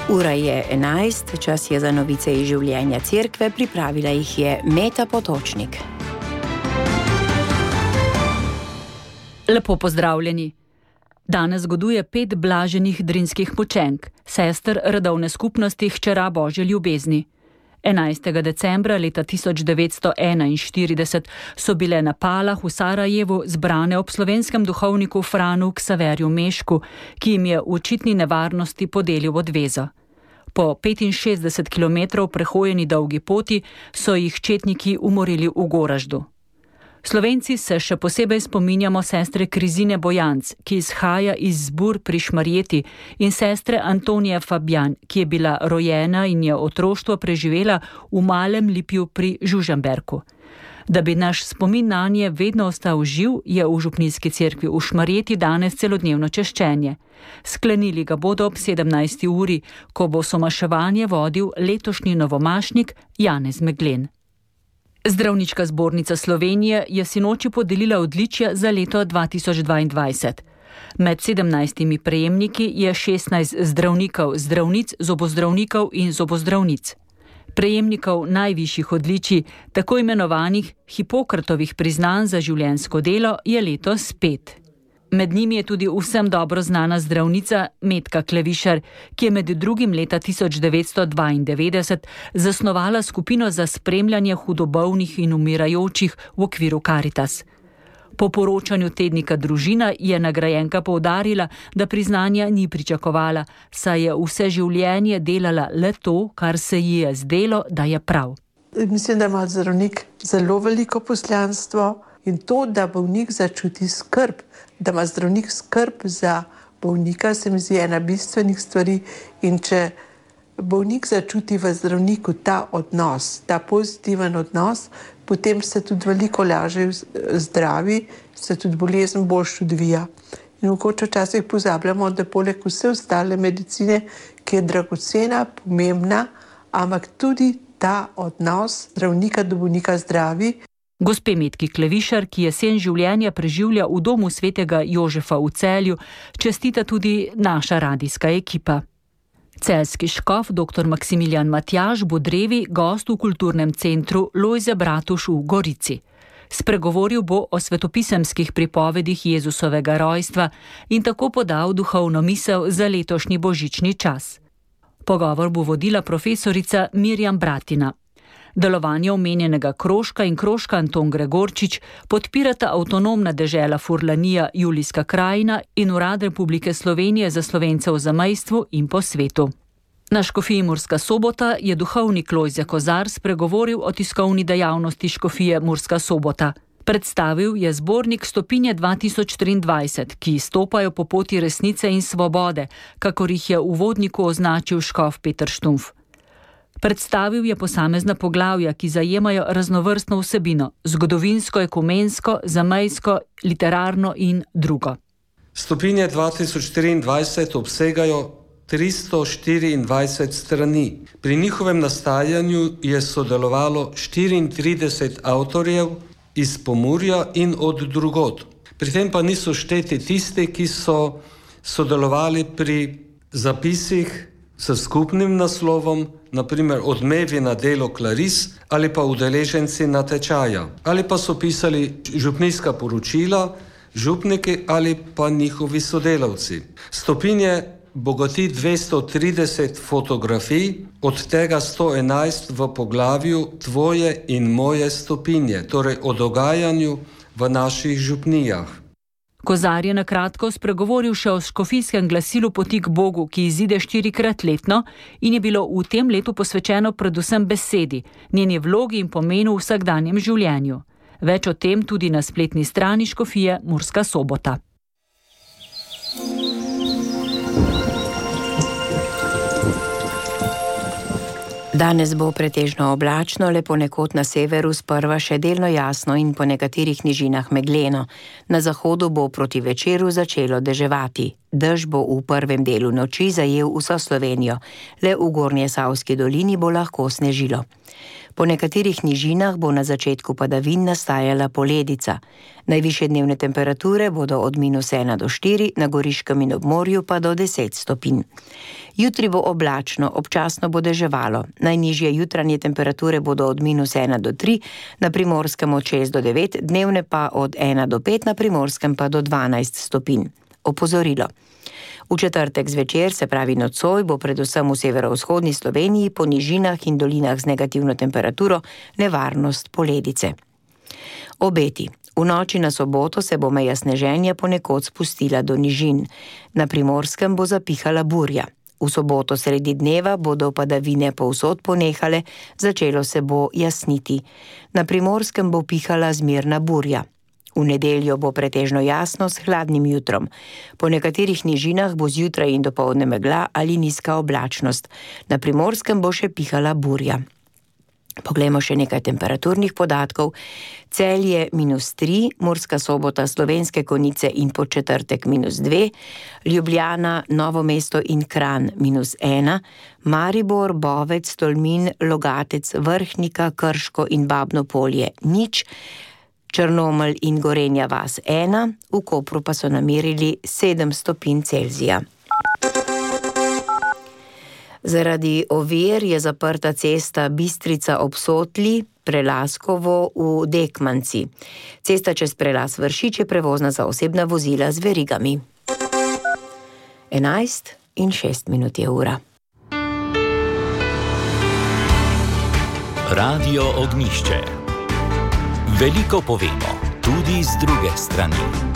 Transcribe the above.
Ura je 11, čas je za novice iz življenja cerkve, pripravila jih je Meta Potočnik. Lepo pozdravljeni. Danes goduje 5 blaženih drinskih mučenk, sester redovne skupnosti Hčera Božje ljubezni. 11. decembra leta 1941 so bile na Palah v Sarajevu zbrane ob slovenskem duhovniku Franu Ksaverju Mešku, ki jim je v očitni nevarnosti podelil odvezo. Po 65 km prehojeni dolgi poti so jih četniki umorili v Goraždu. Slovenci se še posebej spominjamo sestre Krizine Bojanc, ki izhaja iz Zbur pri Šmarjeti, in sestre Antonije Fabjan, ki je bila rojena in je otroštvo preživela v Malem Lipju pri Žužemberku. Da bi naš spomin nanje vedno ostal živ, je v župnijski cerkvi v Šmarjeti danes celodnevno češčenje. Sklenili ga bodo ob 17. uri, ko bo somaševanje vodil letošnji novomašnik Janez Meglen. Zdravniška zbornica Slovenije je sinoči podelila odličja za leto 2022. Med 17 prejemniki je 16 zdravnikov, zdravnic, zobozdravnikov in zobozdravnic. Prejemnikov najvišjih odličij, tako imenovanih Hipokratovih priznanj za življenjsko delo, je letos 5. Med njimi je tudi vsem dobro znana zdravnica Metka Klevišar, ki je med drugim leta 1992 zasnovala skupino za spremljanje hudobolnih in umirajočih v okviru Karitas. Po poročanju tednika Družina je nagrajenka poudarila, da priznanja ni pričakovala, saj je vse življenje delala le to, kar se ji je zdelo, da je prav. Mislim, da ima zdravnik zelo veliko poslanstvo in to, da bolnik začuti skrb, da ima zdravnik skrb za bolnika, se mi zdi ena bistvenih stvari, in če bolnik začuti v zdravniku ta odnos, ta pozitiven odnos, potem se tudi veliko lažje zdravi, se tudi bolezen boljše odvija. In mogoče včasih pozabljamo, da poleg vse ostale medicine, ki je dragocena, pomembna, ampak tudi ta odnos zdravnika do bolnika zdravi. Gospe Metki Klevišar, ki jesen življenja preživlja v domu svetega Jožefa v Celju, čestita tudi naša radijska ekipa. Celjski škof dr. Maksimilijan Matjaž bo drevi gost v kulturnem centru Lojze Bratuš v Gorici. Spregovoril bo o svetopisemskih pripovedih Jezusovega rojstva in tako podal duhovno misel za letošnji božični čas. Pogovor bo vodila profesorica Mirjam Bratina. Delovanje omenjenega krožka in krožka Anton Gregorčič podpirata avtonomna dežela Furlanija Julijska krajina in Urad Republike Slovenije za Slovence v zamejstvu in po svetu. Na škofiji Murska Sobota je duhovnik Lojze Kozar spregovoril o tiskovni dejavnosti škofije Murska Sobota. Predstavil je zbornik Stopinje 2023, ki stopajo po poti resnice in svobode, kakor jih je v uvodniku označil škof Peter Štumf. Predstavil je posamezna poglavja, ki zajemajo raznovrstno vsebino, zgodovinsko, ekumensko, zamejsko, literarno in drugo. Stopinje 2023 obsegajo 324 strani. Pri njihovem nastajanju je sodelovalo 34 avtorjev iz Pomurja in od drugod. Pri tem pa niso šteti tisti, ki so sodelovali pri zapisih s skupnim naslovom, naprimer Odmevi na delo Klaris, ali pa udeleženci natečaja, ali pa so pisali župnijska poročila, župniki ali pa njihovi sodelavci. Stopinje bogati 230 fotografij, od tega 111 v poglavju Tvoje in moje stopinje, torej o dogajanju v naših župnijah. Kozar je na kratko spregovoril še o škofijskem glasilu Poti k Bogu, ki izide 4-krat letno in je bilo v tem letu posvečeno predvsem besedi, njeni vlogi in pomenu v vsakdanjem življenju. Več o tem tudi na spletni strani škofije Murska Sobota. Danes bo pretežno oblačno, le ponekod na severu sprva še delno jasno in po nekaterih nižinah megleno. Na zahodu bo proti večeru začelo deževati. Dež bo v prvem delu noči zajel vso Slovenijo, le v Gornjesavski dolini bo lahko snežilo. Po nekaterih nižinah bo na začetku padavin nastajala poledica. Najvišje dnevne temperature bodo od -1 do 4, na Goriškem in ob morju pa do 10 stopinj. Jutri bo oblačno, občasno bo deževalo. Najnižje jutranje temperature bodo od -1 do 3, na Primorskem od 6 do 9, dnevne pa od 1 do 5, na Primorskem pa do 12 stopinj. Opozorilo. V četrtek zvečer, se pravi nocoj, bo predvsem v severovzhodni Sloveniji po nižinah in dolinah z negativno temperaturo nevarnost poledice. Obeti. V noči na soboto se bo meja sneženja ponekod spustila do nižin. Na Primorskem bo zapihala burja. V soboto sredi dneva bodo padavine povsod ponehale, začelo se bo jasniti. Na Primorskem bo pihala zmerna burja. V nedeljo bo pretežno jasno s hladnim jutrom. Po nekaterih nižinah bo zjutraj in dopoldne megla ali nizka oblačnost. Na Primorskem bo še pihala burja. Poglejmo še nekaj temperaturnih podatkov. Celje -3, Murska Sobota, Slovenske Konjice in Podčetrtek -2, Ljubljana, Novo mesto in Kranj -1, Maribor, Bovec, Tolmin, Logatec, Vrhnika, Krško in Babno Polje 0, Črnomelj in Gorenja vas 1, v Kopru pa so namerili 7 stopinj Celzija. Zaradi ovir je zaprta cesta Bistrica ob Sotli, Prelaskovo v Dekmanci. Cesta čez Prelas Vršič je prevozna za osebna vozila z verigami. 11:06 je ura. Radio Ognjišče. Veliko povemo, tudi z druge strani.